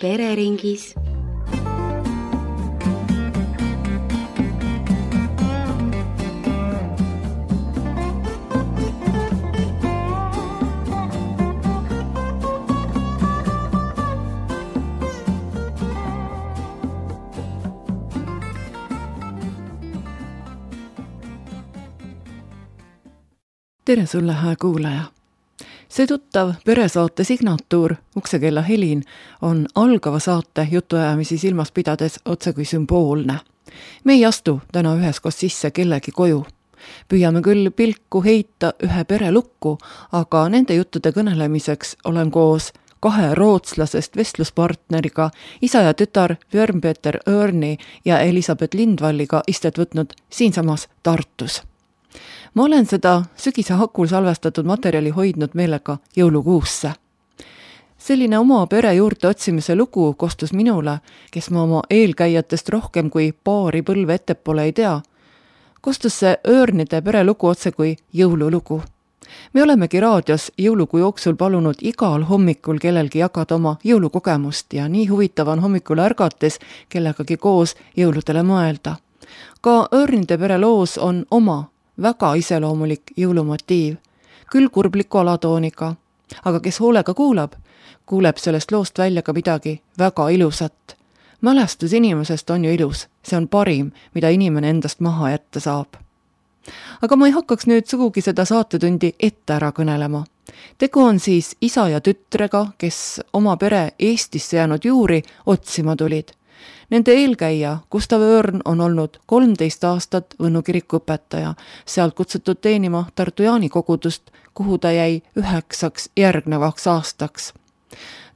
pereringis. Tere sulle, hää kuulaja! See tuttav peresaate signatuur Uksekella helin on algava saate jutuajamisi silmas pidades otse kui sümboolne. Me ei astu täna üheskoos sisse kellegi koju. Püüame küll pilku heita ühe pere lukku, aga nende juttude kõnelemiseks olen koos 2 rootslasest vestluspartneriga, isa ja tütar Björn-Peter Örni ja Elisabeth Lindvalliga istet võtnud siinsamas Tartus. Ma olen seda sügise hakul salvestatud materjali hoidnud meelega jõulukuusse. Selline oma pere juurde otsimise lugu kostus minule, kes ma oma eelkäijatest rohkem kui paari põlve ettepoole ei tea. Kostus see Örnide pere lugu otse kui jõululugu. Me olemegi raadios jõulukuu jooksul palunud igal hommikul kellelgi jagada oma jõulukogemust ja nii huvitav on hommikul ärgates kellegagi koos jõuludele mõelda. Ka Örnide pere loos on oma väga iseloomulik jõulumotiiv, küll kurbliku alatooniga, aga kes hoolega kuuleb sellest loost välja ka midagi väga ilusat. Mälestus inimesest on ju ilus, see on parim, mida inimene endast maha jätta saab. Aga ma ei hakkaks nüüd sugugi seda saatetundi ette ära kõnelema. Tegu on siis isa ja tütrega, kes oma pere Eestisse jäänud juuri otsima tulid. Nende eelkäija Gustav Örn on olnud 13 aastat Võnnu kiriku õpetaja, sealt kutsutud teenima Tartu Jaani kogudust, kuhu ta jäi 9 järgnevaks aastaks.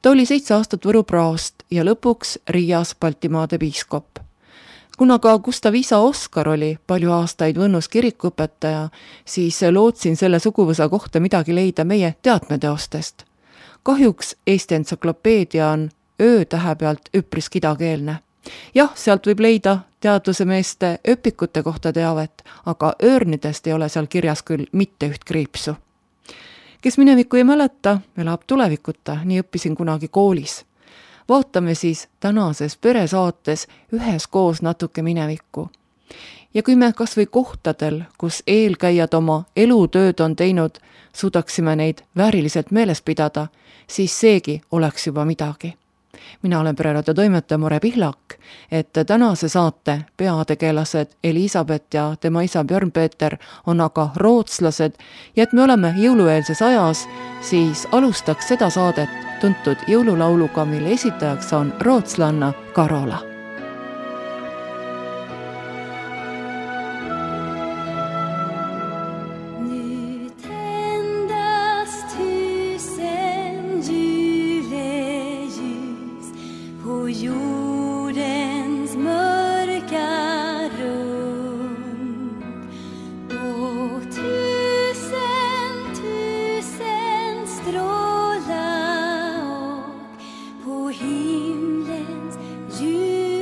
Ta oli 7 aastat Võru praost ja lõpuks Riias Baltimaade piiskop. Kuna ka Gustav isa Oskar oli palju aastaid Võnnus kirikuõpetaja, siis lootsin selle suguvõsa kohta midagi leida meie teatmeteostest. Kahjuks Eesti entsüklopeedia on öötähe pealt üpris kidakeelne. Jah, sealt võib leida teadluse meeste öpikute kohta teavet, aga Örnidest ei ole seal kirjas küll mitte üht kriipsu. Kes minevikku ei mäleta, elab tulevikuta, nii õppisin kunagi koolis. Vaatame siis tänases peresaates üheskoos natuke minevikku. Ja kui me kas või kohtadel, kus eelkäijad oma elutööd on teinud, suudaksime neid vääriliselt meeles pidada, siis seegi oleks juba midagi. Mina olen pereraadio toimetaja More Pihlak, et tänase saate peategelased Elisabeth ja tema isa Björn-Peter on aga rootslased ja et me oleme jõulueelses ajas, siis alustaks seda saadet tuntud jõululauluga, mille esitajaks on rootslanna Karola. Himlens ljus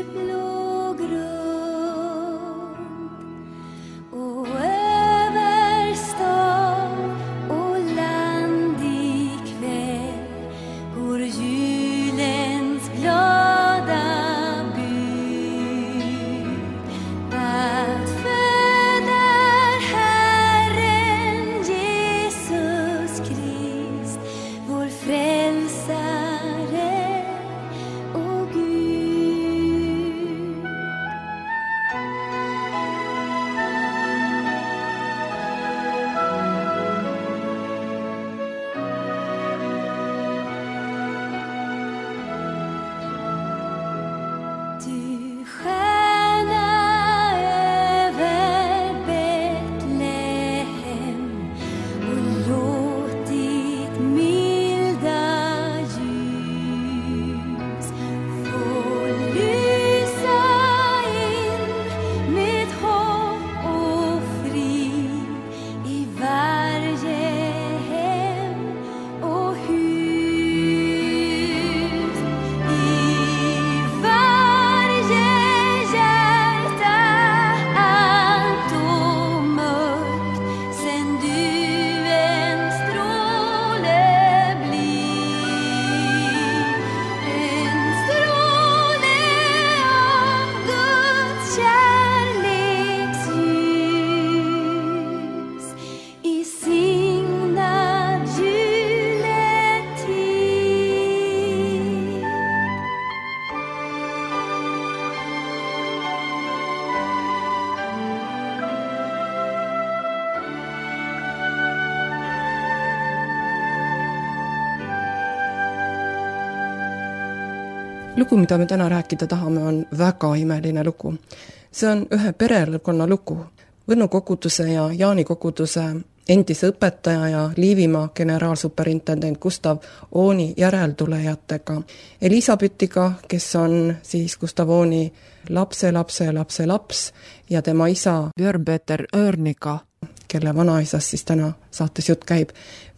Lugu, mida me täna rääkida tahame, on väga imeline lugu. See on ühe perekonna lugu. Võnnu koguduse ja Jaani koguduse endise õpetaja ja Liivimaa generaalsuperintendent Gustav Ooni järeltulejatega. Elisabethiga, kes on siis Gustav Ooni laps ja tema isa Björn-Peter Örniga, kelle vanaisast siis täna saates jutt käib.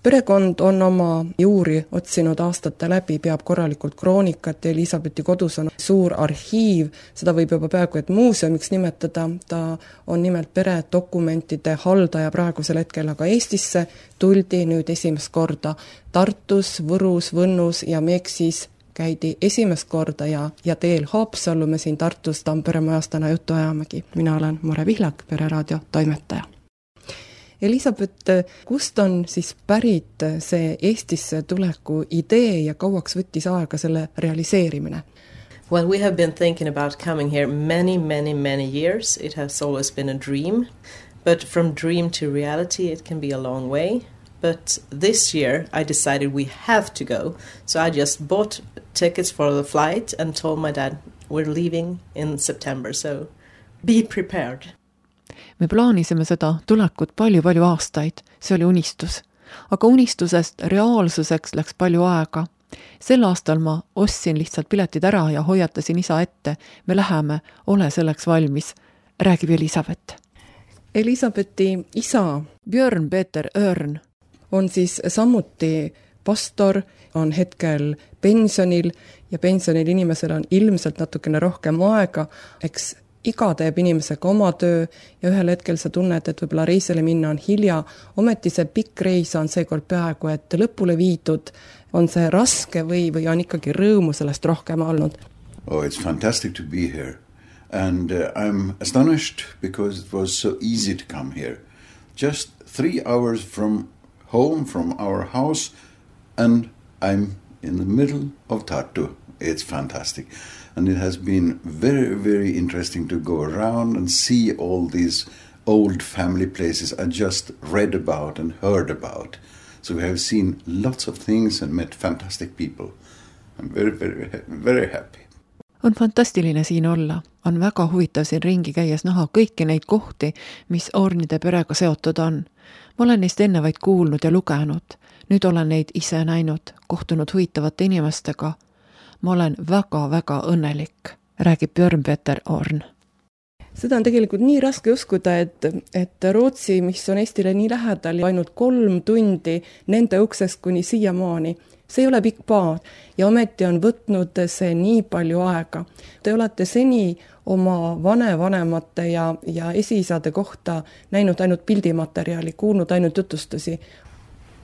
Perekond on oma juuri otsinud aastate läbi, peab korralikult kroonikat ja Elisabethi kodus on suur arhiiv, seda võib juba peaaegu et muuseumiks nimetada, ta on nimelt peredokumentide haldaja praegusel hetkel, aga Eestisse tuldi nüüd esimest korda Tartus, Võrus, Võnnus ja Meksis käidi esimest korda ja teel Haapsallu me siin Tartus Tampere majas täna juttu ajamegi. Mina olen Mare Vihlak, Pereraadio toimetaja. Elisabeth, kust on siis pärit see Eestisse tuleku idee ja kauaks võttis aega selle realiseerimine? Well, we have been thinking about coming here many years. It has always been a dream. But from dream to reality, it can be a long way. But this year, I decided we have to go. So I just bought tickets for the flight and told my dad, we're leaving in September, so be prepared. Me plaanisime seda tulekut palju aastaid, see oli unistus. Aga unistusest reaalsuseks läks palju aega. Sel aastal ma ostsin lihtsalt piletid ära ja hoiatasin isa ette. Me läheme, ole selleks valmis, räägib Elisabeth. Elisabethi isa Björn-Peter Örn on siis samuti pastor, on hetkel pensionil ja pensionil inimesel on ilmselt natukene rohkem aega, eks iga teeb inimesega oma töö ja ühel hetkel sa tunned, et võib-olla reisele minna on hilja. Ometi see pikk reis on seekord peaaegu, et lõpule viidud. On see raske või on ikkagi rõõmu sellest rohkem olnud? Oh, it's fantastic to be here. And I'm astonished because it was so easy to come here. Just 3 hours from home, from our house, and I'm in the middle of Tartu. It's fantastic. And it has been very interesting to go around and see all these old family places I just read about and heard about. So we have seen lots of things and met fantastic people. I'm very happy. On fantastiline siin olla. On väga huvitav siin ringi käies näha kõiki neid kohti, mis Ornide perega seotud on. Ma olen neist enne vaid kuulnud ja lugenud. Nüüd olen neid ise näinud, kohtunud huvitavate inimestega. Ma olen väga õnnelik, räägib Björn-Peter Örn. Seda on tegelikult nii raske uskuda, et Rootsi, mis on Eestile nii lähedal, ainult 3 tundi nende uksest kuni siiamaani. See ei ole pikk paar ja ometi on võtnud see nii palju aega. Te olete seni oma vanemate ja esiisade kohta näinud ainult pildimaterjali, kuulnud ainult jutustusi.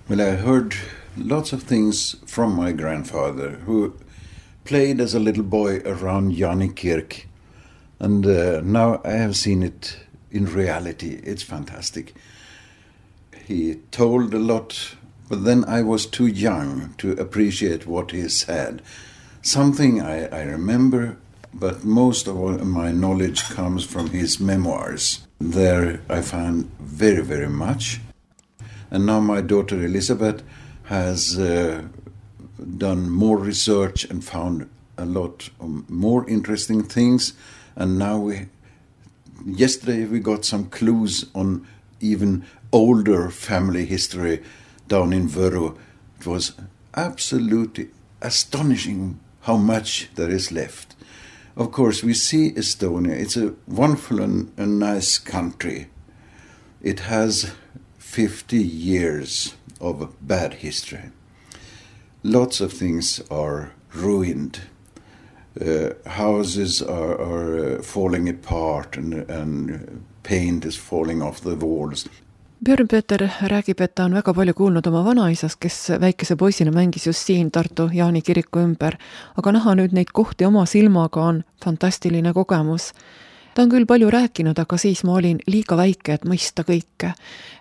Well, I heard lots of things from my grandfather who played as a little boy around Janikirk, and now I have seen it in reality. It's fantastic. He told a lot, but then I was too young to appreciate what he said. Something I remember, but most of my knowledge comes from his memoirs. There I found very much. And now my daughter Elisabeth has done more research and found a lot of more interesting things, and now yesterday we got some clues on even older family history down in Võru. It was absolutely astonishing how much there is left. Of course, we see Estonia. It's a wonderful and a nice country. It has 50 years of bad history. Lots of things are ruined. Houses are falling apart and paint is falling off the walls. Björn-Peter räägib, et ta on väga palju kuulnud oma vanaisast, kes väikese poisina mängis just siin Tartu Jaani kiriku ümber, aga näha nüüd neid kohti oma silmaga on fantastiline kogemus. Ta on küll palju rääkinud, aga siis ma olin liiga väike, et mõista kõike.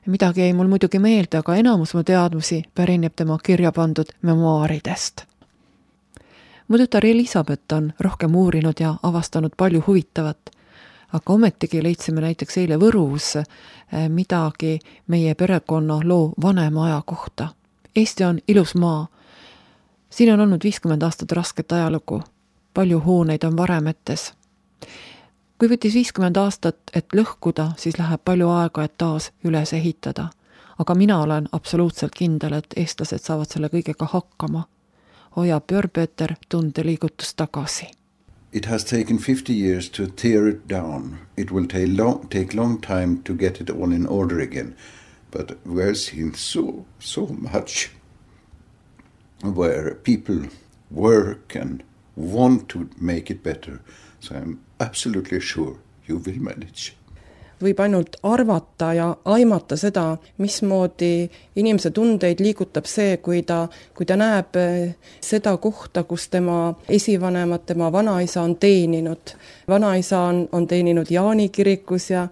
Midagi jäi mul muidugi meelde, aga enamus mu teadmusi pärineb tema kirja pandud memuaaridest. Mu tütar Elisabeth on rohkem uurinud ja avastanud palju huvitavat, aga ometigi leidsime näiteks eile Võrus midagi meie perekonna loo vanema aja kohta. Eesti on ilus maa. Siin on olnud 50 aastat rasket ajalugu. palju hooneid on varemetes. Kui võttis 50 aastat, et lõhkuda, siis läheb palju aega, et taas üles ehitada. Aga mina olen absoluutselt kindel, et eestlased saavad selle kõigega hakkama. Hoia Björn-Peter tundeliigutus tagasi. It has taken 50 years to tear it down. It will take long time to get it all in order again. But we've seen so much where people work and want to make it better. So I'm absolutely sure you will manage. Võib ainult arvata ja aimata seda, mismoodi inimese tundeid liigutab see, kui ta näeb seda kohta, kus tema esivanemad, tema vanaisa on teeninud. Vanaisa on teeninud Jaani kirikus ja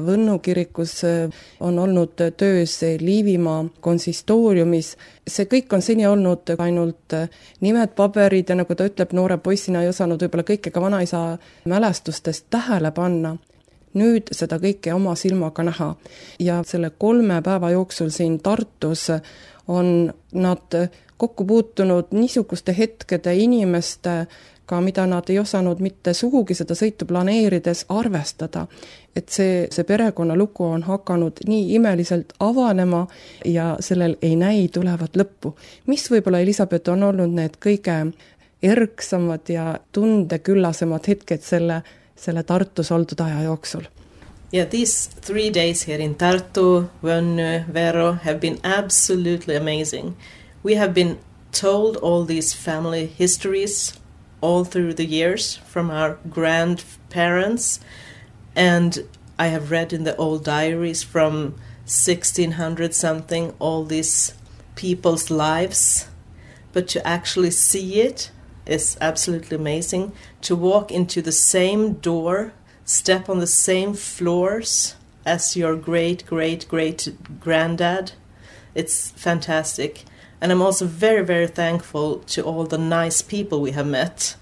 Võnnu kirikus on olnud töös Liivimaa konsistooriumis. See kõik on seni olnud ainult nimed, paberid ja nagu ta ütleb, noore poissina ei osanud võib-olla kõike ka vanaisa mälestustest tähele panna. Nüüd seda kõike oma silmaga näha ja selle 3 päeva jooksul siin Tartus on nad kokku puutunud niisuguste hetkede inimestega, mida nad ei osanud mitte sugugi seda sõitu planeerides arvestada. Et see perekonnalugu on hakanud nii imeliselt avanema ja sellel ei näi tulevat lõppu. Mis võib-olla, Elisabeth, on olnud need kõige erksamad ja tundeküllasemad hetked selle Tartus oldud aja jooksul? Yeah, these 3 days here in Tartu, Võnnu, Vero have been absolutely amazing. We have been told all these family histories all through the years from our grandparents, and I have read in the old diaries from 1600 something all these people's lives, but to actually see it is absolutely amazing. To walk into the same door, step on the same floors as your great-great-great-granddad, it's fantastic. And I'm also very, very thankful to all the nice people we have met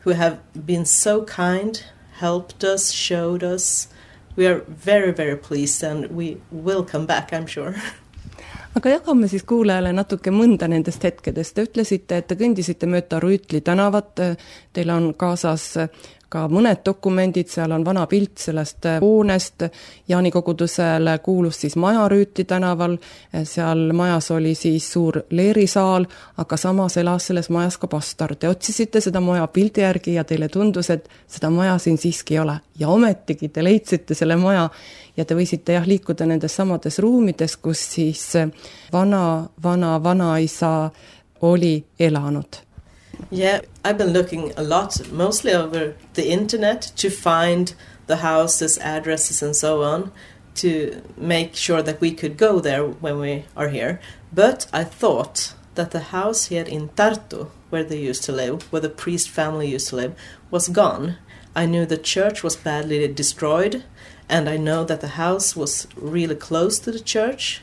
who have been so kind, helped us, showed us. We are very, very pleased and we will come back, I'm sure. Aga jagame siis kuulajale natuke mõnda nendest hetkedest. Te ütlesite, et te kõndisite mööda Rüütli tänavat, teil on kaasas ka mõned dokumendid, seal on vana pilt sellest hoonest, Jaani kogudusele kuulus siis maja Rüütli tänaval, seal majas oli siis suur leerisaal, aga samas elas selles majas ka pastor. Te otsisite seda maja pildi järgi ja teile tundus, et seda maja siin siiski ei ole. Ja ometigi te leidsite selle maja ja te võisite liikuda nendes samades ruumides, kus siis vanaisa oli elanud. Yeah, I've been looking a lot, mostly over the internet, to find the houses, addresses and so on, to make sure that we could go there when we are here. But I thought that the house here in Tartu, where they used to live, where the priest family used to live, was gone. I knew the church was badly destroyed, and I know that the house was really close to the church.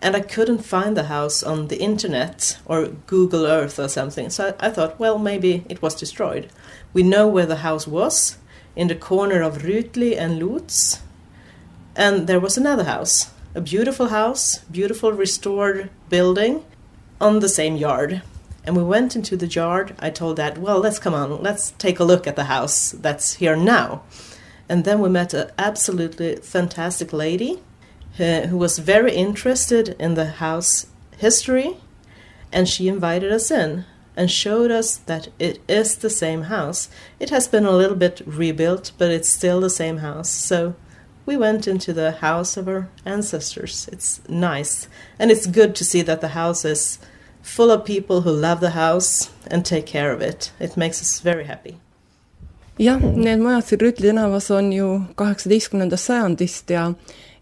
And I couldn't find the house on the internet or Google Earth or something. So I thought, well, maybe it was destroyed. We know where the house was, in the corner of Rüütli and Lutz. And there was another house, a beautiful house, beautiful restored building on the same yard. And we went into the yard. I told Dad, well, let's take a look at the house that's here now. And then we met an absolutely fantastic lady who was very interested in the house history, and she invited us in and showed us that it is the same house. It has been a little bit rebuilt, but it's still the same house. So we went into the house of our ancestors. It's nice, and it's good to see that the house is full of people who love the house and take care of it. It makes us very happy. Jah, need majad siin Rüütli tänavas on ju 18. sajandist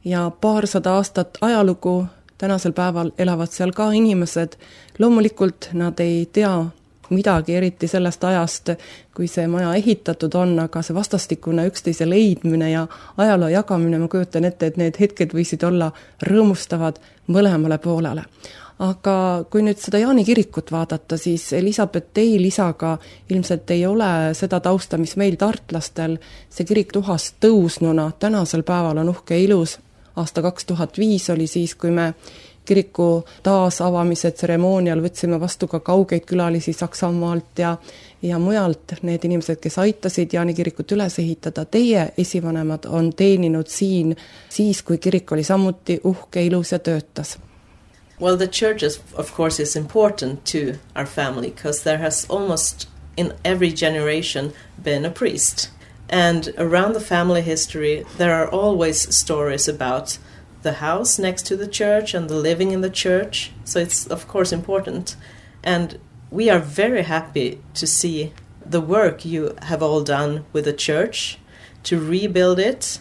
ja paarsada aastat ajalugu, tänasel päeval elavad seal ka inimesed. Loomulikult nad ei tea midagi eriti sellest ajast, kui see maja ehitatud on, aga see vastastikune üksteise leidmine ja ajaloo jagamine, ma kujutan ette, et need hetked võisid olla rõõmustavad mõlemale poolele. Aga kui nüüd seda Jaani kirikut vaadata, siis Elisabeth, teil isaga ilmselt ei ole seda tausta, mis meil tartlastel. See kirik tuhast tõusnuna tänasel päeval on uhke ilus. Aasta 2005 oli siis, kui me kiriku taasavamise tseremoonial võtsime vastu ka kaugeid külalisi Saksamaalt ja mujalt, need inimesed, kes aitasid Jaani kirikut üles ehitada. Teie esivanemad on teeninud siin siis, kui kirik oli samuti uhke, ilus ja töötas. Well, the church is, of course, is important to our family because there has almost in every generation been a priest. And around the family history, there are always stories about the house next to the church and the living in the church. So it's, of course, important. And we are very happy to see the work you have all done with the church to rebuild it.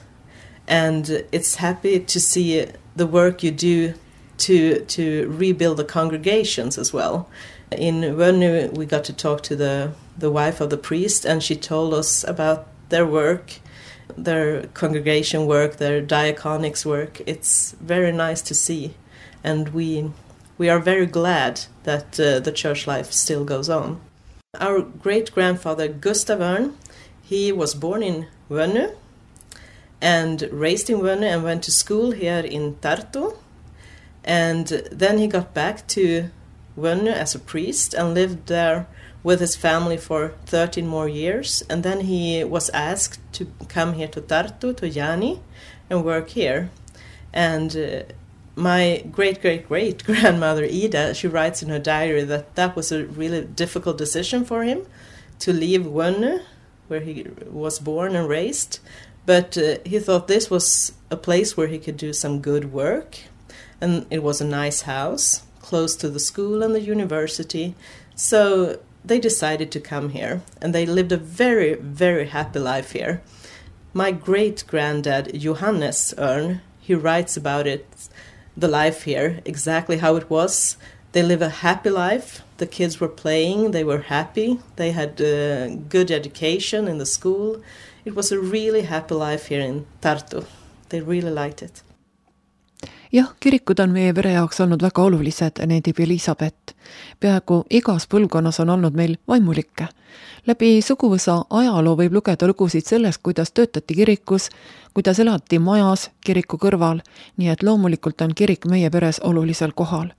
And it's happy to see the work you do to rebuild the congregations as well. In Vönnu, we got to talk to the wife of the priest, and she told us about their work, their congregation work, their diaconics work. It's very nice to see, and we are very glad that the church life still goes on. Our great-grandfather Gustav Örn, he was born in Vönnu and raised in Vönnu and went to school here in Tartu. And then he got back to Vönnu as a priest and lived there with his family for 13 more years. And then he was asked to come here to Tartu, to Jaani, and work here. And my great-great-great-grandmother Ida, she writes in her diary that was a really difficult decision for him to leave Vönnu, where he was born and raised. But he thought this was a place where he could do some good work. And it was a nice house, close to the school and the university. So they decided to come here, and they lived a very, very happy life here. My great-granddad, Johannes Örn, he writes about it, the life here, exactly how it was. They live a happy life. The kids were playing, they were happy. They had good education in the school. It was a really happy life here in Tartu. They really liked it. Jah, kirikud on meie pere jaoks olnud väga olulised, needib Elisabeth. Peaaegu igas põlvkonnas on olnud meil vaimulikke. Läbi suguvõsa ajaloo võib lugeda lugusid sellest, kuidas töötati kirikus, kuidas elati majas kiriku kõrval, nii et loomulikult on kirik meie peres olulisel kohal.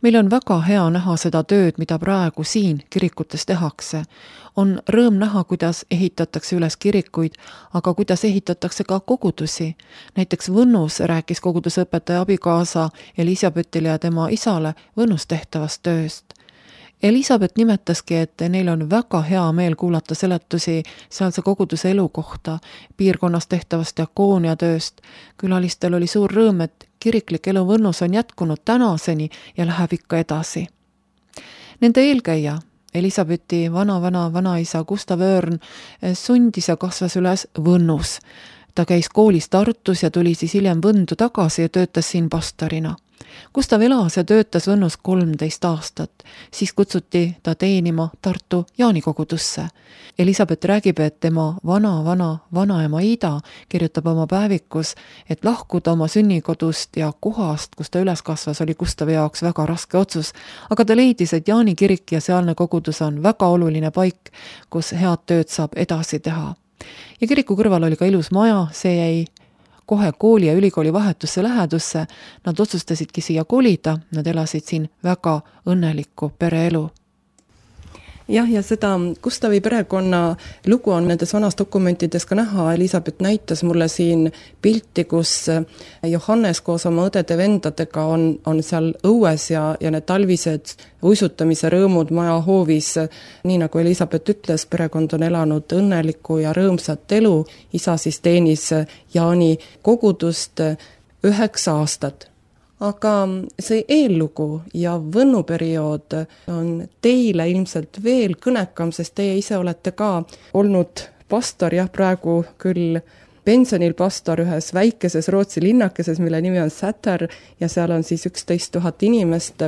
Meil on väga hea näha seda tööd, mida praegu siin kirikutes tehakse. On rõõm näha, kuidas ehitatakse üles kirikuid, aga kuidas ehitatakse ka kogudusi. Näiteks Võnnus rääkis kogudusõpetaja abikaasa Elisabethile ja tema isale Võnnus tehtavast tööst. Elisabeth nimetaski, et neil on väga hea meel kuulata seletusi sealse koguduse elu kohta, piirkonnas tehtavast diakooniatööst. Külalistel oli suur rõõm, et kiriklik elu Võnnus on jätkunud tänaseni ja läheb ikka edasi. Nende eelkäija, Elisabethi vanaisa Gustav Örn, sundis ja kasvas üles Võnnus. Ta käis koolis Tartus ja tuli siis hiljem Võndu tagasi ja töötas siin pastorina. Gustav elas ja töötas Võnnus 13 aastat, siis kutsuti ta teenima Tartu Jaani kogudusse. Elisabeth räägib, et tema vanaema Ida kirjutab oma päevikus, et lahkuda oma sünnikodust ja kohast, kus ta üles kasvas, oli Gustavi jaoks väga raske otsus, aga ta leidis, et Jaani kirik ja sealne kogudus on väga oluline paik, kus head tööd saab edasi teha. Ja kiriku kõrval oli ka ilus maja, see jäi kohe kooli ja ülikooli vahetusse lähedusse. Nad otsustasidki siia kolida, nad elasid siin väga õnnelikku pereelu. Jah, ja seda Gustavi perekonna lugu on nendes vanas dokumentides ka näha. Elisabeth näitas mulle siin pilti, kus Johannes koos oma õdede vendadega on seal õues ja need talvised uisutamise rõõmud maja hoovis. Nii nagu Elisabeth ütles, perekond on elanud õnnelikku ja rõõmsat elu. Isa siis teenis Jaani kogudust 9 aastat. Aga see eellugu ja Võnnu periood on teile ilmselt veel kõnekam, sest teie ise olete ka olnud pastor, jah, praegu küll pensionil pastor ühes väikeses Rootsi linnakeses, mille nimi on Säter ja seal on siis 11 000 inimest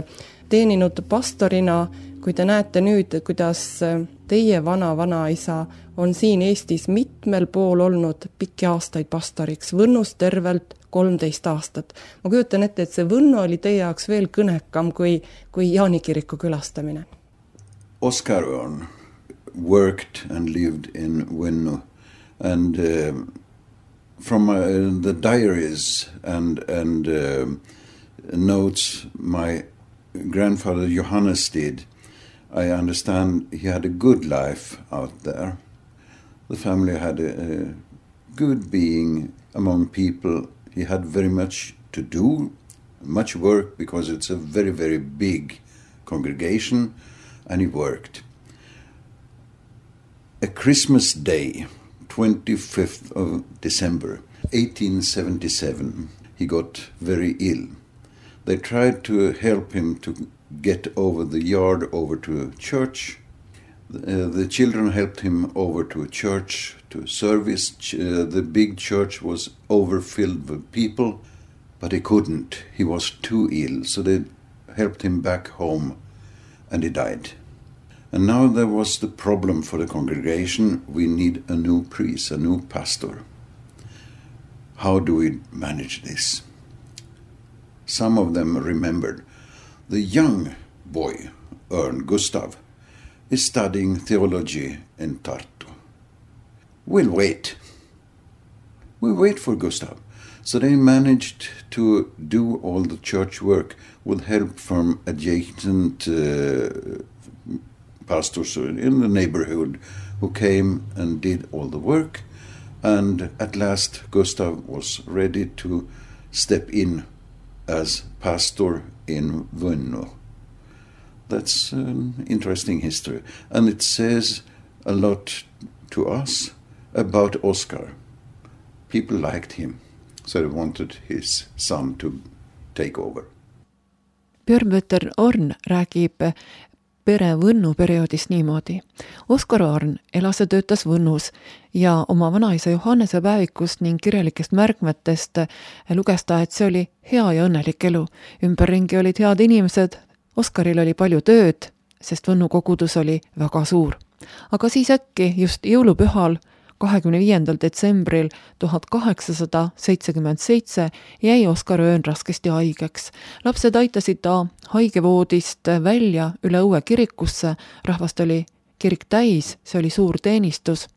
teeninud pastorina. Kui te näete nüüd, kuidas teie vanaisa on siin Eestis mitmel pool olnud pikki aastaid pastoriks, Võnnus tervelt 13 aastat. Ma kujutan ette, et see Võnnu oli teie jaoks veel kõnekam kui Jaani kiriku külastamine. Oskar Örn worked and lived in Võnnu, and from the diaries and notes my grandfather Johannes did, I understand he had a good life out there. The family had a good being among people. He had very much to do, much work, because it's a very, very big congregation, and he worked. A Christmas day, 25th of December, 1877, he got very ill. They tried to help him to get over the yard over to a church. The children helped him over to a church, to a service. The big church was overfilled with people, but he couldn't. He was too ill, so they helped him back home, and he died. And now there was the problem for the congregation. We need a new priest, a new pastor. How do we manage this? Some of them remembered the young boy, Örn Gustav, is studying theology in Tartu. We'll wait. We wait for Gustav. So they managed to do all the church work with help from adjacent pastors in the neighborhood who came and did all the work. And at last Gustav was ready to step in as pastor in Vunno. That's an interesting history. And it says a lot to us about Oscar. People liked him, so they wanted his son to take over. Björn Orn räägib pere Võnnu perioodist niimoodi. Oskar Orn elas ja töötas Võnnus ja oma vanaisa Johannese päevikust ning kirjalikest märkmetest luges ta, et see oli hea ja õnnelik elu. Ümberringi olid head inimesed, Oskaril oli palju tööd, sest Võnnu kogudus oli väga suur. Aga siis äkki just jõulupühal 25. detsembril 1877 jäi Oskar Öön raskesti haigeks. Lapsed aitasid ta haigevoodist välja üle õue kirikusse, rahvast oli kirik täis, see oli suur teenistus.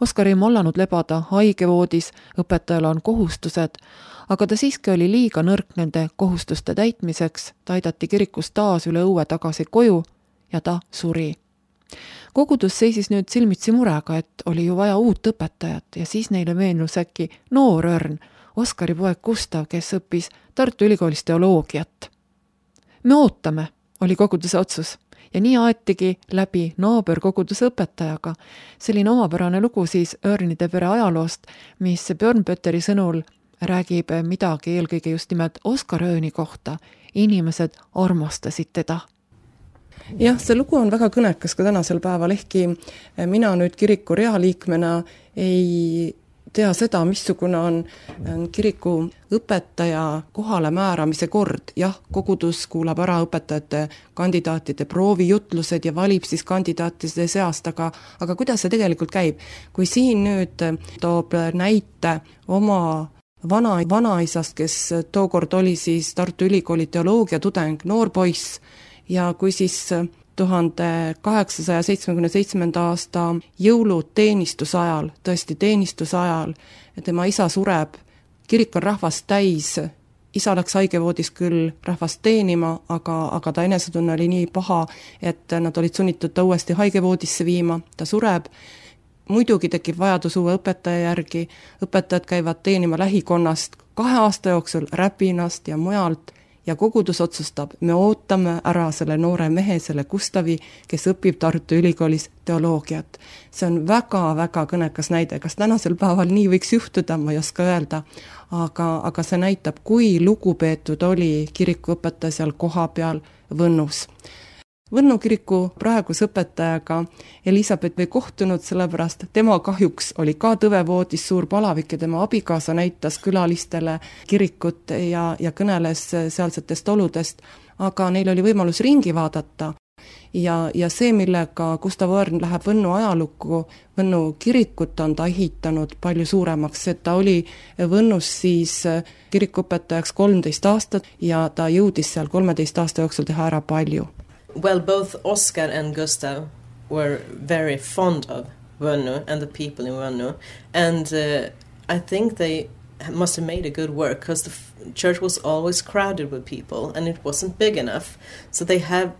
Oskar ei mollanud lebada haigevoodis, õpetajal on kohustused, aga ta siiski oli liiga nõrk nende kohustuste täitmiseks, ta aidati kirikust taas üle õue tagasi koju ja ta suri. Kogudus seisis nüüd silmitsi murega, et oli ju vaja uut õpetajat ja siis neile meenus äkki noor Örn, Oskari poeg Gustav, kes õppis Tartu Ülikoolis teoloogiat. Me ootame, oli koguduse otsus ja nii aetigi läbi naaberkoguduse õpetajaga. Selline omapärane lugu siis Örnide pere ajaloost, mis Björn Pötteri sõnul räägib midagi eelkõige just nimelt Oskar Ööni kohta. Inimesed armastasid teda. Jah, see lugu on väga kõnekas ka tänasel päeval, ehkki mina nüüd kiriku realiikmena ei tea seda, missugune on kiriku õpetaja kohale määramise kord. Jah, kogudus kuulab ära õpetajate kandidaatide proovijutlused ja valib siis kandidaatide seast, aga kuidas see tegelikult käib? Kui siin nüüd toob näite oma vanaisast, kes tookord oli siis Tartu Ülikooli teoloogia tudeng, noor poiss, ja kui siis 1877. aasta jõuluteenistuse ajal, tõesti teenistuse ajal, tema isa sureb, kirik on rahvast täis, isa läks haigevoodis küll rahvast teenima, aga ta enesetunne oli nii paha, et nad olid sunnitud ta uuesti haigevoodisse viima, ta sureb, muidugi tekib vajadus uue õpetaja järgi, õpetajad käivad teenima lähikonnast 2 aasta jooksul Räpinast ja mujalt, ja kogudus otsustab, me ootame ära selle noore mehe, selle Gustavi, kes õpib Tartu Ülikoolis teoloogiat. See on väga-väga kõnekas näide, kas tänasel päeval nii võiks juhtuda, ma ei oska öelda, aga see näitab, kui lugupeetud oli kirikuõpetaja seal koha peal Võnnus. Võnnu kiriku praeguse õpetajaga Elisabeth ei kohtunud, sellepärast tema kahjuks oli ka tõvevoodis suur palavik ja tema abikaasa näitas külalistele kirikut ja kõneles sealsetest oludest, aga neil oli võimalus ringi vaadata. Ja see, millega Gustav Örn läheb Võnnu ajalukku, Võnnu kirikut on ta ehitanud palju suuremaks, et ta oli Võnnus siis kirikuõpetajaks 13 aastat ja ta jõudis seal 13 aasta jooksul teha ära palju. Well, both Oskar and Gustav were very fond of Vunno and the people in Vunno, and I think they must have made a good work, because the church was always crowded with people and it wasn't big enough. So they had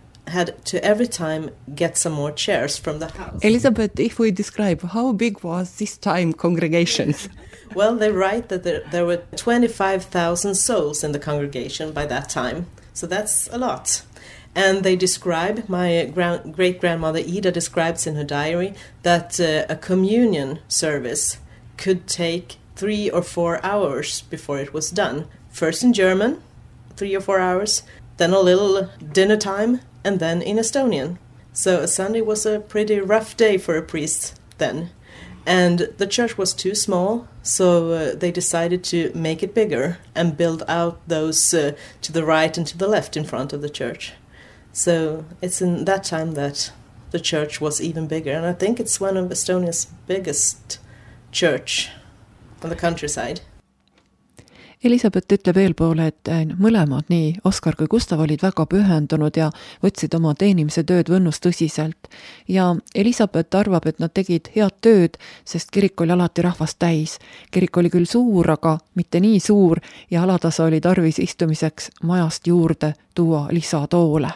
to every time get some more chairs from the house. Elizabeth, if we describe, how big was this time congregations? Well, they write that there were 25,000 souls in the congregation by that time. So that's a lot. And they describe, my great-grandmother Ida describes in her diary, that a communion service could take 3 or 4 hours before it was done. First in German, 3 or 4 hours, then a little dinner time, and then in Estonian. So a Sunday was a pretty rough day for a priest then. And the church was too small, so they decided to make it bigger and build out those to the right and to the left in front of the church. So it's in that time that the church was even bigger. And I think it's one of Estonia's biggest church on the countryside. Elisabeth ütleb eelpoole, et mõlemad, nii Oskar kui Gustav, olid väga pühendunud ja võtsid oma teenimise tööd Võnnus tõsiselt. Ja Elisabeth arvab, et nad tegid head tööd, sest kirik oli alati rahvast täis. Kirik oli küll suur, aga mitte nii suur ja alatasa oli tarvis istumiseks majast juurde tuua lisatoole.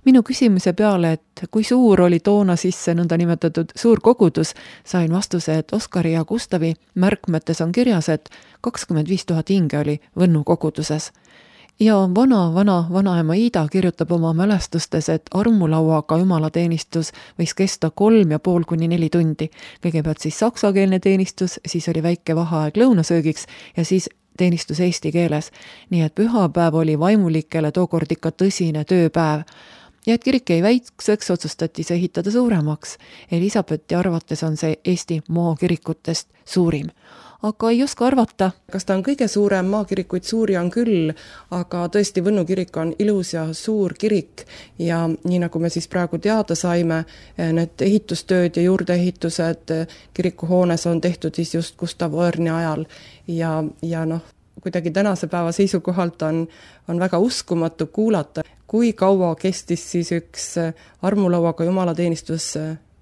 Minu küsimuse peale, et kui suur oli toona sisse nõnda nimetatud suur kogudus, sain vastuse, et Oskari ja Gustavi märkmetes on kirjas, et 25,000 hinge oli Võnnu koguduses. Ja vanaema Ida kirjutab oma mälestustes, et armulauaga jumalateenistus võis kesta 3,5 kuni 4 tundi. Kõigepealt siis saksakeelne teenistus, siis oli väike vaheaeg lõunasöögiks ja siis teenistus eesti keeles. Nii et pühapäev oli vaimulikele tookord ikka tõsine tööpäev. Ja et kirik jäi väikseks, otsustati see ehitada suuremaks. Elisabethi arvates on see Eesti maakirikutest suurim. Aga ei oska arvata. Kas ta on kõige suurem? Maakirikuid suuri on küll, aga tõesti Võnnu kirik on ilus ja suur kirik. Ja nii nagu me siis praegu teada saime, need ehitustööd ja juurdeehitused kirikuhoones on tehtud siis just Gustav Oerni ajal. Ja kuidagi tänase päeva seisukohalt on väga uskumatu kuulata, kui kaua kestis siis üks armulauaga jumalateenistus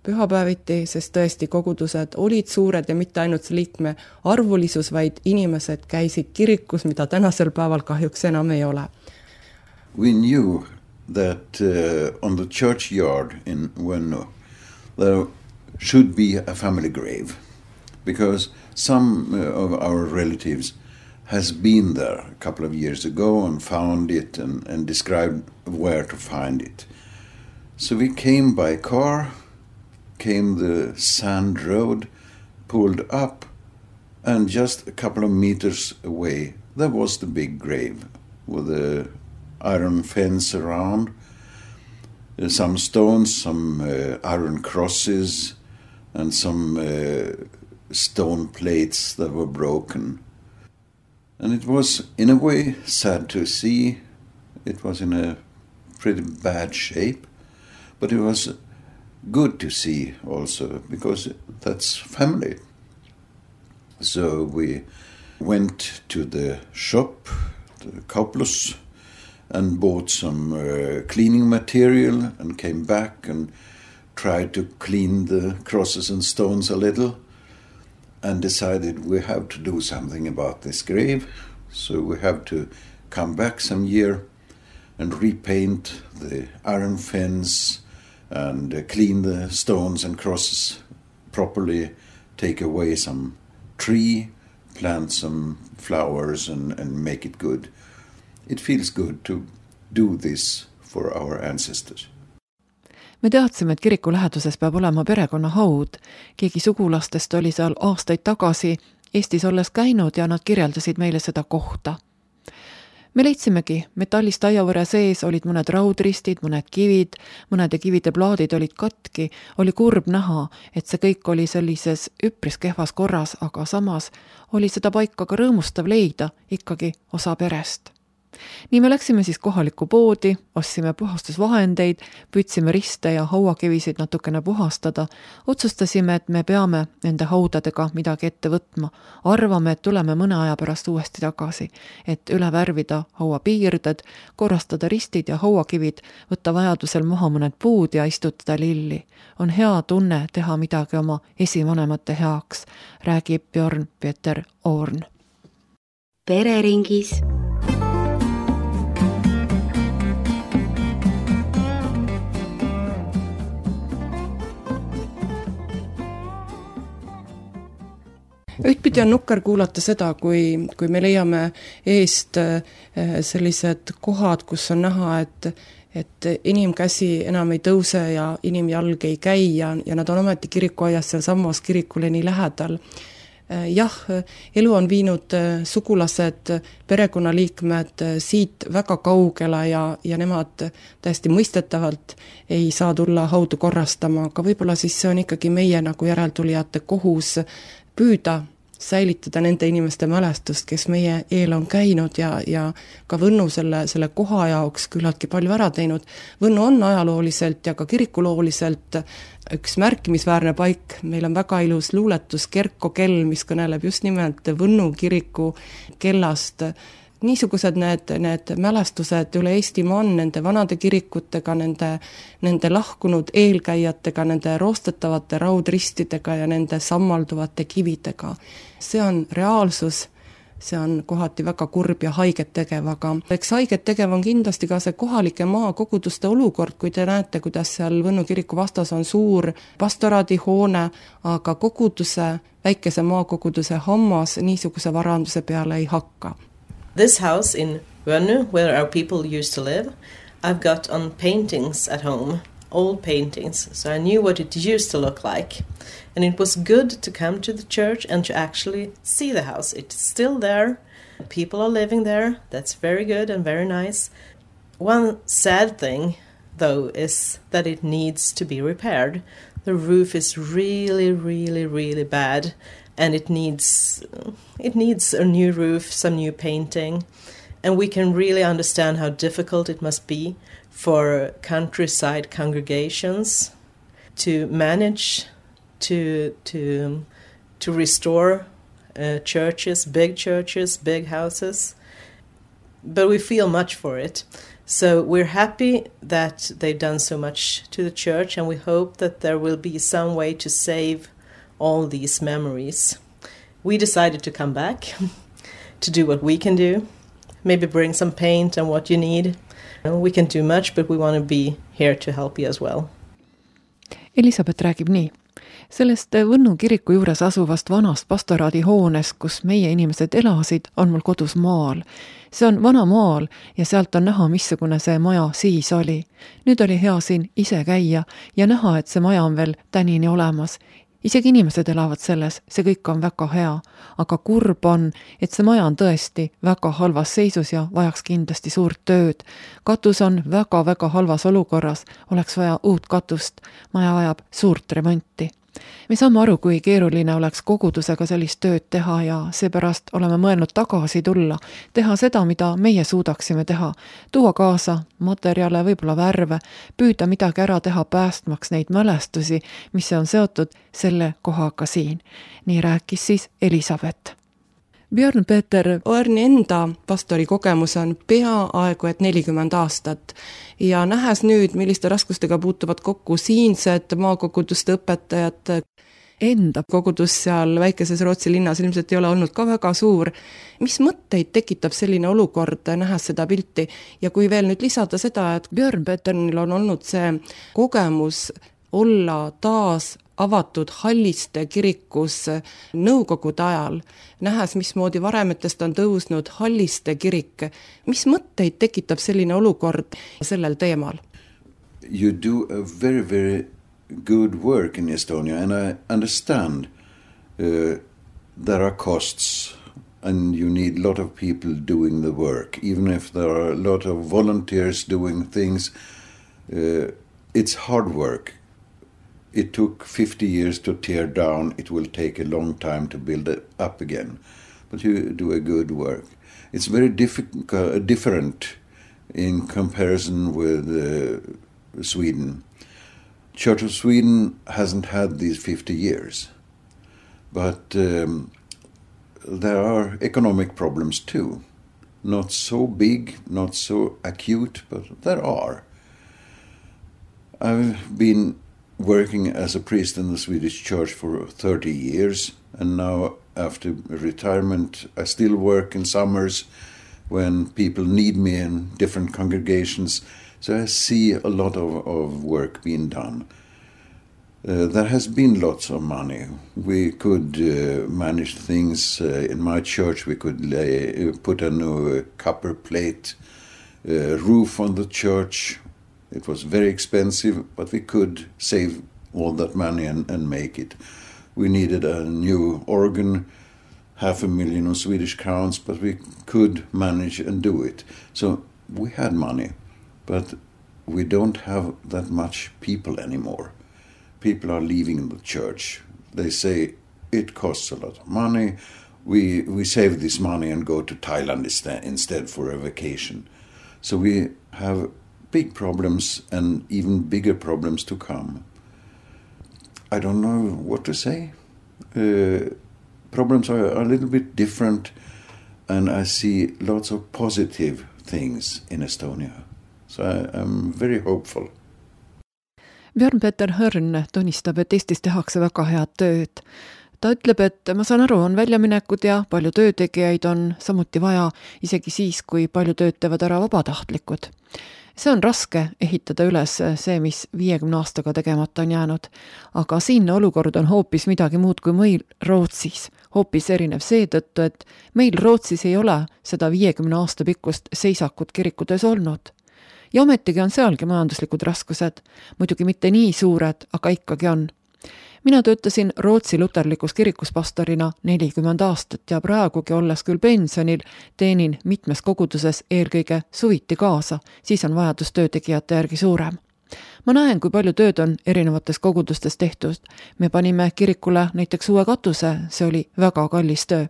pühapäeviti, sest tõesti kogudused olid suured ja mitte ainult liikme arvulisus, vaid inimesed käisid kirikus, mida tänasel päeval kahjuks enam ei ole. We knew that on the churchyard in Võnnu there should be a family grave because some of our relatives has been there a couple of years ago and found it and described where to find it. So we came by car, came the sand road, pulled up, and just a couple of meters away there was the big grave with a iron fence around, some stones, some iron crosses, and some stone plates that were broken. And it was, in a way, sad to see. It was in a pretty bad shape, but it was good to see also, because that's family. So we went to the shop, the Kauplus, and bought some cleaning material and came back and tried to clean the crosses and stones a little. And decided we have to do something about this grave. So we have to come back some year and repaint the iron fence and clean the stones and crosses properly, take away some tree, plant some flowers and make it good. It feels good to do this for our ancestors. Me teadsime, et kiriku läheduses peab olema perekonna haud. Keegi sugulastest oli seal aastaid tagasi Eestis olles käinud ja nad kirjeldasid meile seda kohta. Me leidsimegi, metallist aiavõre sees olid mõned raudristid, mõned kivid, mõnede kivide plaadid olid katki, oli kurb näha, et see kõik oli sellises üpris kehvas korras, aga samas oli seda paika ka rõõmustav leida, ikkagi osa perest. Nii me läksime siis kohalikku poodi, ostsime puhastusvahendeid, püüdsime riste ja hauakivisid natukene puhastada, otsustasime, et me peame nende haudadega midagi ette võtma. Arvame, et tuleme mõne aja pärast uuesti tagasi, et üle värvida hauapiirded, korrastada ristid ja hauakivid, võtta vajadusel maha mõned puud ja istutada lilli. On hea tunne teha midagi oma esivanemate heaks, räägib Björn Peter Orn. pereringis. Ühtpidi on nukker kuulata seda, kui me leiame eest sellised kohad, kus on näha, et inimkäsi enam ei tõuse ja inimjalg ei käi ja nad on ometi kirikuaias seal samas kirikule nii lähedal. Jah, elu on viinud sugulased, perekonnaliikmed siit väga kaugele ja nemad täiesti mõistetavalt ei saa tulla haudu korrastama, aga võib-olla siis see on ikkagi meie nagu järeltulijate kohus püüda säilitada nende inimeste mälestust, kes meie eel on käinud ja ka Võnnu selle koha jaoks küllaltki palju ära teinud. Võnnu on ajalooliselt ja ka kirikulooliselt üks märkimisväärne paik. Meil on väga ilus luuletus Kerko kell, mis kõneleb just nimelt Võnnu kiriku kellast. Niisugused need mälestused üle Eestimaa on nende vanade kirikutega, nende lahkunud eelkäijatega, nende roostetavate raudristidega ja nende sammalduvate kividega. See on reaalsus, see on kohati väga kurb ja haiget tegev, aga eks haiget tegev on kindlasti ka see kohalike maakoguduste olukord, kui te näete, kuidas seal Võnnu kiriku vastas on suur pastoraadihoone, aga koguduse, väikese maakoguduse hammas niisuguse varanduse peale ei hakka. This house in Võnnu, where our people used to live, I've got on paintings at home, old paintings, so I knew what it used to look like. And it was good to come to the church and to actually see the house. It's still there. People are living there. That's very good and very nice. One sad thing, though, is that it needs to be repaired. The roof is really, really, really bad. And it needs a new roof, some new painting. And we can really understand how difficult it must be for countryside congregations to manage to restore churches, big houses. But we feel much for it. So we're happy that they've done so much to the church, and we hope that there will be some way to save all these memories. We decided to come back to do what we can do, maybe bring some paint and what you need. We can do much, but we want to be here to help you as well. Elisabeth räägib nii. Sellest Võnnu kiriku juures asuvast vanast pastoraadihoonest, kus meie inimesed elasid, on mul kodus maal. See on vana maal ja sealt on näha, missugune see maja siis oli. Nüüd oli hea siin ise käia ja näha, et see maja on veel tänini olemas. Isegi inimesed elavad selles, see kõik on väga hea, aga kurb on, et see maja on tõesti väga halvas seisus ja vajaks kindlasti suurt tööd. Katus on väga halvas olukorras, oleks vaja uut katust, maja vajab suurt remonti. Me saame aru, kui keeruline oleks kogudusega sellist tööd teha ja seepärast oleme mõelnud tagasi tulla, teha seda, mida meie suudaksime teha, tuua kaasa materjale, võib-olla värve, püüda midagi ära teha päästmaks neid mälestusi, mis on seotud selle kohaga siin. Nii rääkis siis Elisabeth. Björn Peter Oerni enda pastori kogemus on peaaegu et 40 aastat ja nähes nüüd, milliste raskustega puutuvad kokku siinsed maakoguduste õpetajad, enda kogudus seal väikeses Rootsi linnas ilmselt ei ole olnud ka väga suur. Mis mõtteid tekitab selline olukord, nähes seda pilti? Ja kui veel nüüd lisada seda, et Björn Peternil on olnud see kogemus olla taas avatud Halliste kirikus nõukogude ajal, nähes, mismoodi varemetest on tõusnud Halliste kirik. Mis mõtteid tekitab selline olukord sellel teemal? You do a very, very good work in Estonia, and I understand there are costs and you need a lot of people doing the work. Even if there are a lot of volunteers doing things, it's hard work. It took 50 years to tear down. It will take a long time to build it up again. But you do a good work. It's very different in comparison with Sweden. Church of Sweden hasn't had these 50 years. But there are economic problems too. Not so big, not so acute, but there are. I've been working as a priest in the Swedish church for 30 years, and now after retirement. I still work in summers when people need me in different congregations. So I see a lot of work being done. There has been lots of money. We could manage things in my church. We could put a new copper plate roof on the church. It was very expensive, but we could save all that money and make it. We needed a new organ, 500,000 Swedish crowns, but we could manage and do it. So we had money, but we don't have that much people anymore. People are leaving the church. They say it costs a lot of money. We save this money and go to Thailand instead for a vacation. So we have big problems and even bigger problems to come. I don't know what to say. Problems are a little bit different, and I see lots of positive things in Estonia. So I'm very hopeful. Björn-Peter Hörn tunnistab, et Eestis tehakse väga head tööd. Ta ütleb, et ma saan aru, on väljaminekud ja palju töötegijaid on samuti vaja, isegi siis, kui palju tööd teevad ära vabatahtlikud. See on raske ehitada üles see, mis 50 aastaga tegemata on jäänud, aga siinne olukord on hoopis midagi muud kui meil Rootsis. Hoopis erinev seetõttu, et meil Rootsis ei ole seda 50 aasta pikkust seisakut kirikutöös olnud. Ja ometigi on sealgi majanduslikud raskused, muidugi mitte nii suured, aga ikkagi on. Mina töötasin Rootsi luterlikus kirikus pastorina 40 aastat ja praegugi olles küll pensionil, teenin mitmes koguduses eelkõige suviti kaasa, siis on vajadus töötegijate järgi suurem. Ma näen, kui palju tööd on erinevates kogudustes tehtud. Me panime kirikule näiteks uue katuse, see oli väga kallis töö.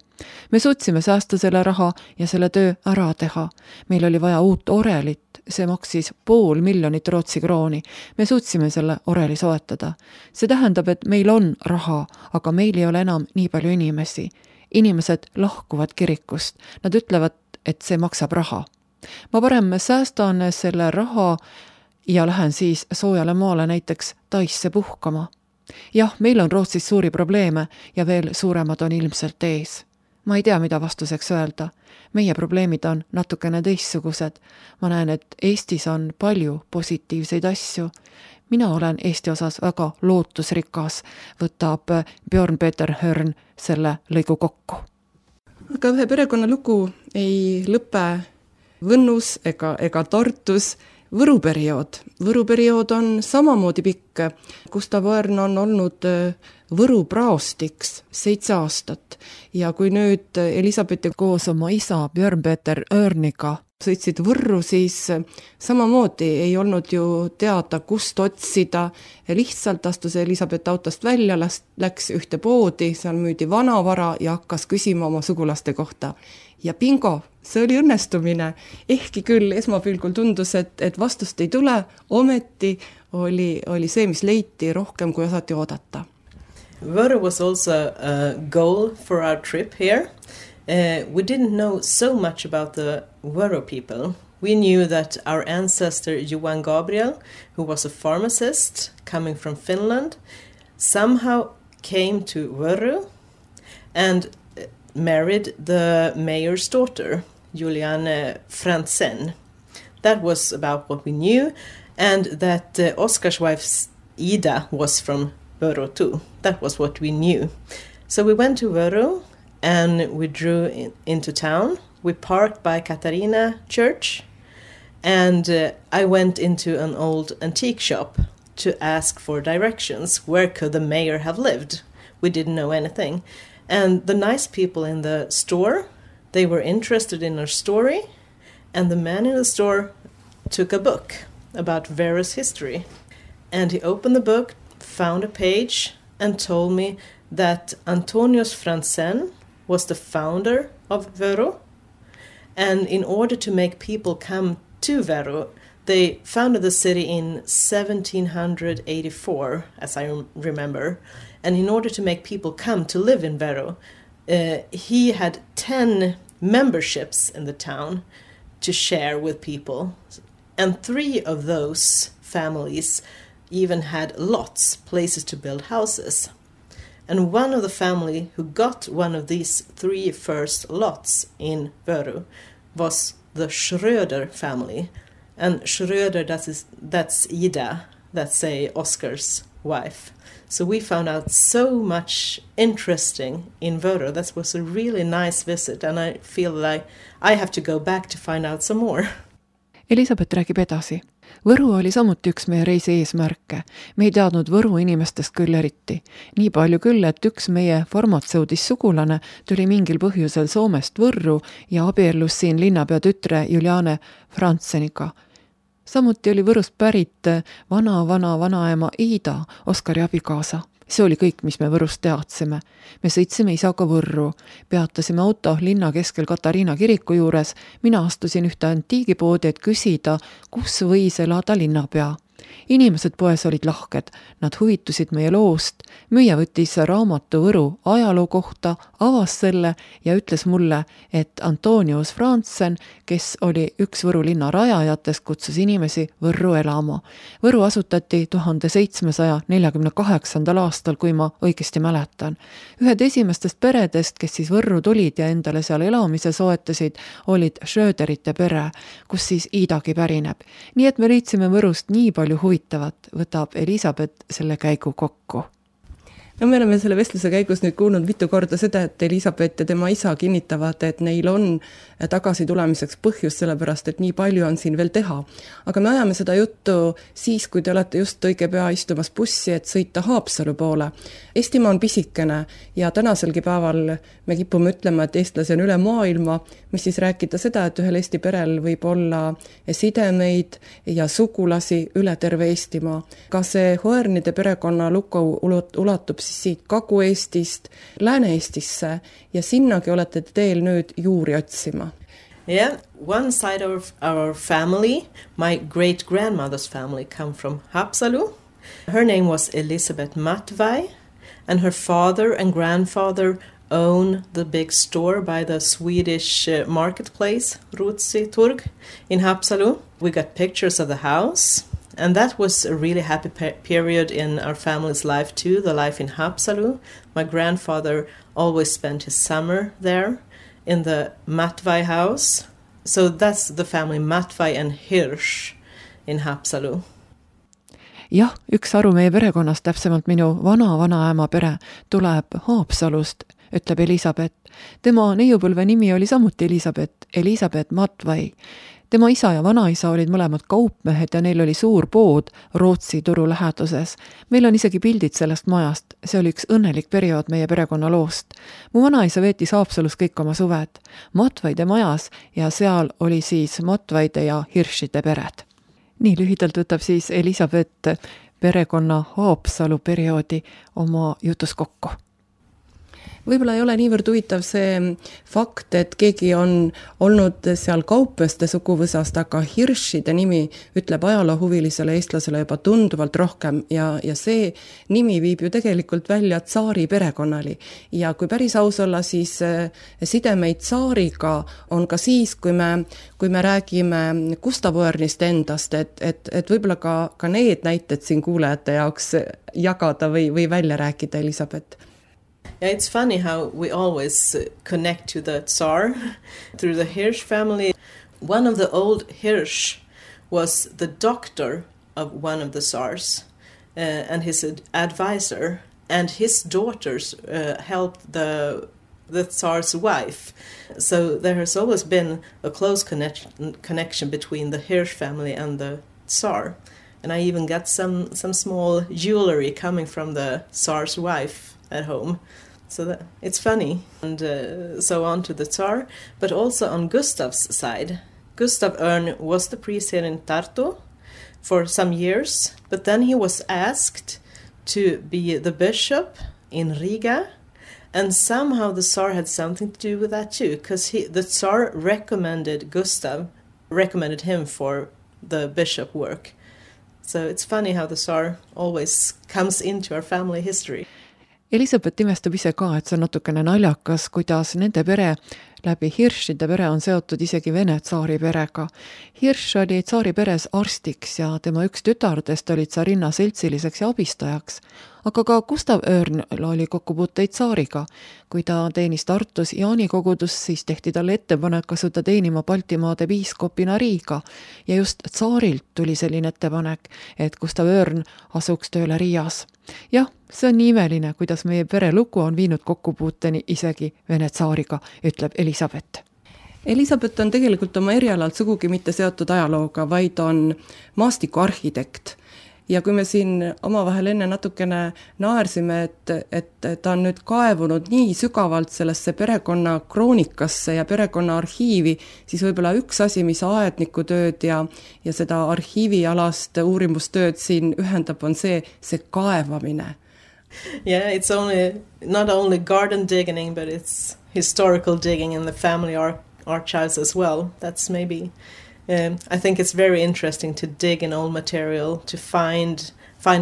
Me suutsime säästa selle raha ja selle töö ära teha. Meil oli vaja uut orelit, see maksis 500,000 Rootsi krooni. Me suutsime selle oreli soetada. See tähendab, et meil on raha, aga meil ei ole enam nii palju inimesi. Inimesed lahkuvad kirikust. Nad ütlevad, et see maksab raha. Ma parem säästan selle raha ja lähen siis soojale maale näiteks Taisse puhkama. Jah, meil on Rootsis suuri probleeme ja veel suuremad on ilmselt ees. Ma ei tea, mida vastuseks öelda. Meie probleemid on natukene teistsugused. Ma näen, et Eestis on palju positiivseid asju. Mina olen Eesti osas väga lootusrikas, võtab Björn-Peter Hörn selle lõigu kokku. Aga ühe perekonna lugu ei lõpe Võnnus ega Tartus. Võru periood on samamoodi pikk. Gustav Õrn on olnud Võru praostiks 7 aastat ja kui nüüd Elisabeth koos oma isa Björn-Peter Õrniga sõitsid Võrru, siis samamoodi ei olnud ju teada, kust otsida. Lihtsalt astus Elisabeth autost välja, läks ühte poodi, seal müüdi vanavara ja hakkas küsima oma sugulaste kohta. Ja bingo, see oli õnnestumine. Ehkki küll esmapilgul tundus, et vastust ei tule, ometi oli see, mis leiti rohkem, kui osati oodata. Võru was also a goal for our trip here. We didn't know so much about the Võru people. We knew that our ancestor Johan Gabriel, who was a pharmacist coming from Finland, somehow came to Võru and married the mayor's daughter, Juliane Frantzen. That was about what we knew, and that Oskar's wife Ida was from Võru too. That was what we knew. So we went to Võru and we drew into town. We parked by Katarina Church, and I went into an old antique shop to ask for directions. Where could the mayor have lived? We didn't know anything. And the nice people in the store, they were interested in our story, and the man in the store took a book about Võru's history. And he opened the book, found a page, and told me that Antonius Frantzen was the founder of Võru. And in order to make people come to Võru, they founded the city in 1784, as I remember. And in order to make people come to live in Võru, he had 10 memberships in the town to share with people. And 3 of those families even had lots, places to build houses. And one of the family who got one of these 3 first lots in Vöru was the Schröder family. And Schröder, that's Ida, that's Oscar's wife. So we found out so much interesting in Vöru. That was a really nice visit, and I feel like I have to go back to find out some more. Elisabeth räägib edasi. Võru oli samuti üks meie reisi eesmärke. Me ei teadnud Võru inimestest küll eriti. Nii palju küll, et üks meie farmatseudis sugulane tuli mingil põhjusel Soomest Võrru ja abiellus siin linnapea tütre Juliane Frantseniga. Samuti oli Võrust pärit vanaema Ida, Oskari abikaasa. See oli kõik, mis me Võrust teadsime. Me sõitsime isaga Võrru, peatasime auto linna keskel Katariina kiriku juures, mina astusin ühte antiigipoodi, et küsida, kus võis elada linnapea. Inimesed poes olid lahked, nad huvitusid meie loost, müüja võttis raamatu Võru ajaloo kohta, avas selle ja ütles mulle, et Antonius Frantsen, kes oli üks Võru linna rajajatest, kutsus inimesi Võrru elama. Võru asutati 1748. aastal, kui ma õigesti mäletan. Ühed esimestest peredest, kes siis Võrru tulid ja endale seal elamise soetasid, olid Schröderite pere, kus siis Idagi pärineb. Nii et me leidsime Võrust nii palju huvitavat, võtab Elisabeth selle käigu kokku. No me oleme selle vestluse käigus nüüd kuulnud mitu korda seda, et Elisabeth ja tema isa kinnitavad, et neil on tagasi tulemiseks põhjus, sellepärast, et nii palju on siin veel teha. Aga me ajame seda juttu siis, kui te olete just õige pea istumas bussi, et sõita Haapsalu poole. Eestimaa on pisikene ja tänaselgi päeval me kipume ütlema, et eestlasi on üle maailma, mis siis rääkida seda, et ühel Eesti perel võib olla sidemeid ja sugulasi üle terve Eestimaa. Ka see Hoernide perekonna lugu ulatub siis siit Kagu-Eestist Lääne-Eestisse ja sinnagi olete teel nüüd juuri otsima. Yeah, one side of our family, my great-grandmother's family, come from Haapsalu. Her name was Elisabeth Matvai, and her father and grandfather own the big store by the Swedish marketplace, Ruotsi Turg, in Haapsalu. We got pictures of the house, and that was a really happy period in our family's life too, the life in Haapsalu. My grandfather always spent his summer there in the Matvai house. So that's the family Matvai and Hirsch in Haapsalu. Jah, üks aru meie perekonnast, täpsemalt minu vanaema pere, tuleb Haapsalust, ütleb Elisabeth. Tema neiupõlve nimi oli samuti Elisabeth Matvai. Tema isa ja vanaisa olid mõlemad kaupmehed ja neil oli suur pood Rootsi turu läheduses. Meil on isegi pildid sellest majast. See oli üks õnnelik periood meie perekonna loost. Mu vanaisa veetis Haapsalus kõik oma suved Matvaide majas ja seal oli siis Matvaide ja Hirschide pered. Nii lühidalt võtab siis Elisabeth perekonna Haapsalu perioodi oma jutus kokku. Võib-olla ei ole niivõrd huvitav see fakt, et keegi on olnud seal kaupmeeste suguvõsast, aga Hirschide nimi ütleb ajaloohuvilisele eestlasele juba tunduvalt rohkem ja see nimi viib ju tegelikult välja tsaari perekonnali. Ja kui päris aus olla, siis sidemeid tsaariga on ka siis, kui me räägime Gustav Oernist endast, et võib-olla ka need näited siin kuulajate jaoks jagada või välja rääkida, Elisabeth. Yeah, it's funny how we always connect to the Tsar through the Hirsch family. One of the old Hirsch was the doctor of one of the Tsars and his advisor, and his daughters helped the Tsar's wife. So there has always been a close connection between the Hirsch family and the Tsar. And I even got some small jewelry coming from the Tsar's wife at home. So it's funny. And so on to the Tsar. But also on Gustav's side. Gustav Örn was the priest here in Tartu for some years. But then he was asked to be the bishop in Riga. And somehow the Tsar had something to do with that too. Because the Tsar recommended him for the bishop work. So it's funny how the Tsar always comes into our family history. Elisabeth imestab ise ka, et see on natukene naljakas, kuidas nende pere läbi Hirschide pere on seotud isegi Vene tsaari perega. Hirsch oli tsaari peres arstiks ja tema üks tütardest oli tsarinna seltsiliseks ja abistajaks. Aga ka Gustav Örnl oli kokkupuuteid tsaariga. Kui ta teenis Tartus Jaani kogudus, siis tehti talle ettepanek asuda teenima Baltimaade piiskopina Riiga. Ja just tsaarilt tuli selline ettepanek, et Gustav Örn asuks tööle Riias. Jah, see on nii imeline, kuidas meie perelugu on viinud kokkupuuteni isegi Vene tsaariga, ütleb Elisabeth. Elisabeth on tegelikult oma erialalt sugugi mitte seotud ajalooga, vaid on maastikuarhitekt. Ja kui me siin omavahel enne natukene naersime, et ta on nüüd kaevunud nii sügavalt sellesse perekonna kroonikasse ja perekonna arhiivi, siis võib-olla üks asi, mis aednikutööd ja seda arhiivialast uurimustööd siin ühendab, on see kaevamine. Yeah, it's not only garden digging, but it's historical digging in the family archives as well. That's maybe... I think it's very interesting to dig in old material, to find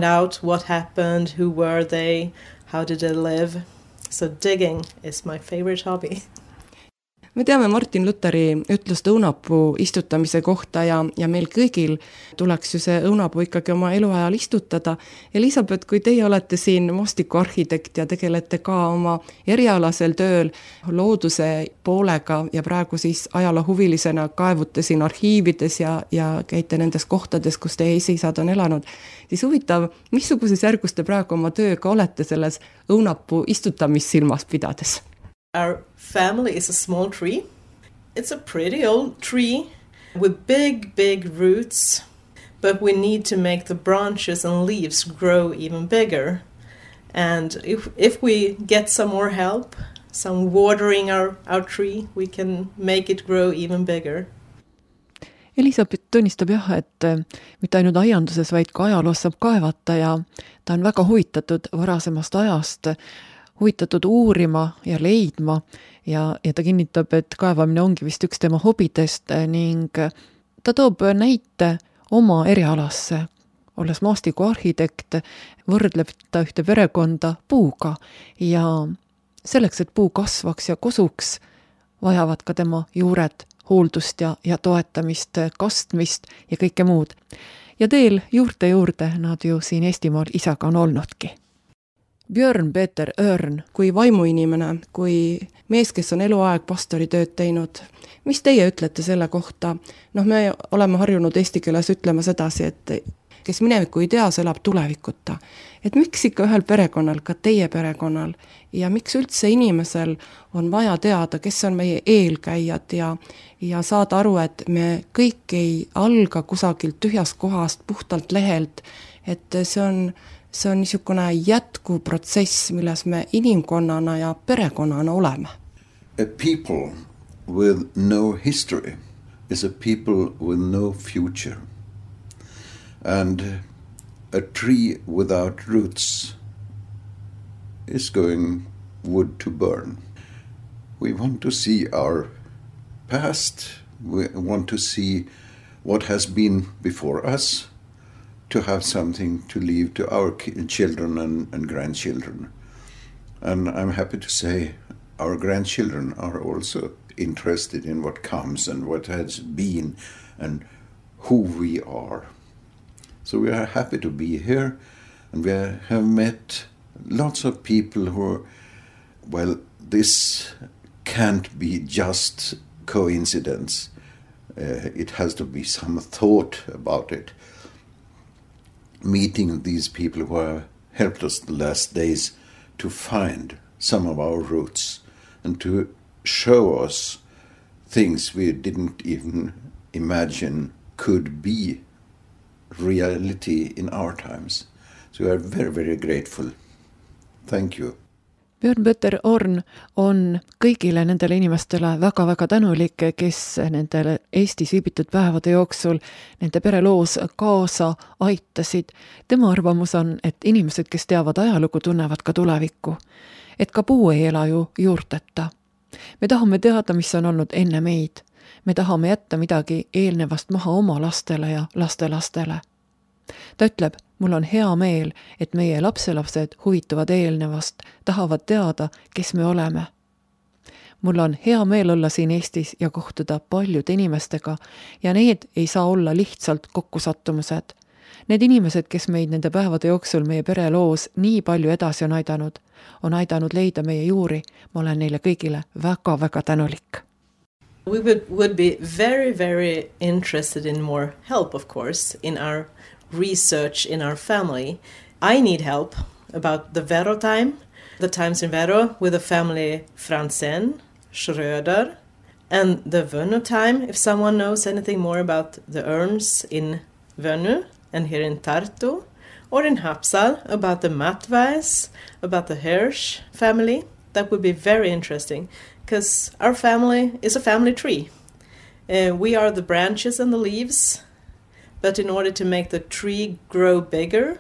out what happened, who were they, how did they live. So digging is my favorite hobby. Me teame Martin Lutheri ütlust õunapuu istutamise kohta ja meil kõigil tuleks ju see õunapuu ikkagi oma eluajal istutada. Elisabeth, kui teie olete siin maastikuarhitekt ja tegelete ka oma erialasel tööl looduse poolega ja praegu siis ajaloohuvilisena kaevute siin arhiivides ja käite nendes kohtades, kus teie esiisad on elanud, siis huvitav, missuguses järgus te praegu oma tööga olete selles õunapuu istutamist silmas pidades? Our family is a small tree. It's a pretty old tree with big roots, but we need to make the branches and leaves grow even bigger. And if we get some more help, some watering our tree, we can make it grow even bigger. Elisabeth tunnistab jah, et mitte ainult aianduses, vaid ka ajaloos saab kaevata ja ta on väga huvitatud varasemast ajast, huvitatud uurima ja leidma ja ta kinnitab, et kaevamine ongi vist üks tema hobidest ning ta toob näite oma erialasse. Olles maastikuarhitekt, võrdleb ta ühte perekonda puuga ja selleks, et puu kasvaks ja kosuks, vajavad ka tema juured hooldust ja toetamist, kastmist ja kõike muud. Ja teel juurde nad ju siin Eestimaal isaga on olnudki. Björn Peter Örn, kui vaimuinimene, kui mees, kes on eluaeg pastoritööd teinud, mis teie ütlete selle kohta? Me oleme harjunud eesti keeles ütlema sedasi, et kes minevikku ei tea, see elab tulevikuta. Et miks ikka ühel perekonnal, ka teie perekonnal, ja miks üldse inimesel on vaja teada, kes on meie eelkäijad ja saada aru, et me kõik ei alga kusagilt tühjast kohast, puhtalt lehelt, et see on niisugune jätkuprotsess, milles me inimkonnana ja perekonnana oleme. A people with no history is a people with no future. And a tree without roots is going wood to burn. We want to see our past. We want to see what has been before us, to have something to leave to our children and grandchildren. And I'm happy to say our grandchildren are also interested in what comes and what has been and who we are. So we are happy to be here, and we have met lots of people who, well, this can't be just coincidence. It has to be some thought about it. Meeting these people who have helped us the last days to find some of our roots and to show us things we didn't even imagine could be reality in our times. So we are very, very grateful. Thank you. Björn Peter Örn on kõigile nendele inimestele väga-väga tänulik, kes nendele Eestis viibitud päevade jooksul nende pereloos kaasa aitasid. Tema arvamus on, et inimesed, kes teavad ajalugu, tunnevad ka tulevikku. Et ka puu ei ela ju juurteta. Me tahame teada, mis on olnud enne meid. Me tahame jätta midagi eelnevast maha oma lastele ja lastelastele. Ta ütleb, mul on hea meel, et meie lapselapsed huvituvad eelnevast, tahavad teada, kes me oleme. Mul on hea meel olla siin Eestis ja kohtuda paljude inimestega ja need ei saa olla lihtsalt kokkusattumused. Need inimesed, kes meid nende päevade jooksul meie pere loos nii palju edasi on aidanud leida meie juuri, ma olen neile kõigile väga-väga tänulik. We would be very, very interested in more help, of course, in our research in our family. I need help about the Vero time, the times in Vero with the family Franzen, Schröder, and the Vönnu time, if someone knows anything more about the urns in Vönnu and here in Tartu, or in Hapsal about the Matvais, about the Hirsch family. That would be very interesting, because our family is a family tree. We are the branches and the leaves, but in order to make the tree grow bigger,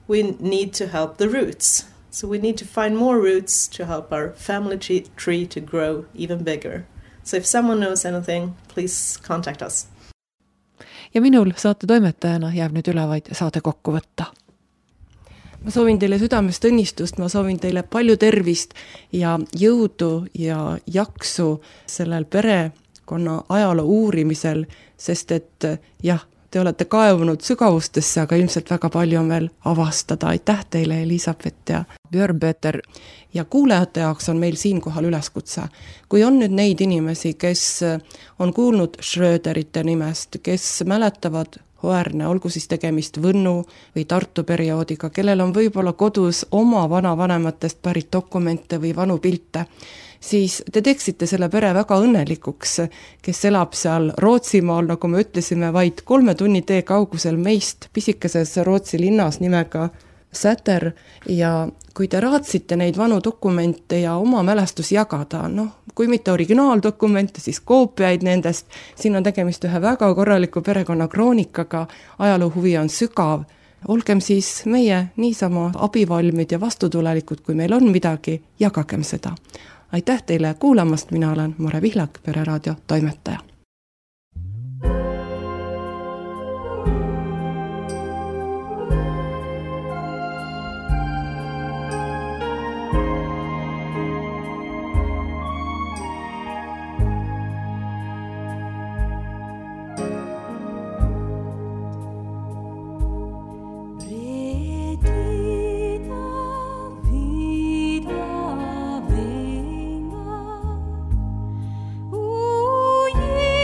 we need to help the roots. So we need to find more roots to help our family tree to grow even bigger. So if someone knows anything, please contact us. Ja minul saate toimetajana jääb nüüd üle vaid saate kokku võtta. Ma soovin teile südamest õnnistust, ma soovin teile palju tervist ja jõudu ja jaksu sellel perekonna ajaloo uurimisel, sest et jah, te olete kaevunud sügavustesse, aga ilmselt väga palju on veel avastada. Aitäh teile, Elisabeth ja Björn-Peter. Ja kuulajate jaoks on meil siinkohal üleskutse. Kui on nüüd neid inimesi, kes on kuulnud Schröderite nimest, kes mäletavad Hoerne, olgu siis tegemist Võnnu või Tartu perioodiga, kellel on võib-olla kodus oma vanavanematest pärit dokumente või vanu pilte, siis te teeksite selle pere väga õnnelikuks, kes elab seal Rootsimaal, nagu me ütlesime, vaid 3 tunni tee kaugusel meist pisikeses Rootsi linnas nimega Säter, ja kui te raatsite neid vanu dokumente ja oma mälestus jagada, kui mitte originaaldokumente, siis koopiaid nendest, siin on tegemist ühe väga korraliku perekonna kroonikaga, ajaloo huvi on sügav, olgem siis meie niisama abivalmid ja vastutulelikud, kui meil on midagi, jagagem seda. Aitäh teile kuulamast, mina olen Mare Vihlak, Pereraadio toimetaja. Yeah.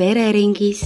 pereringis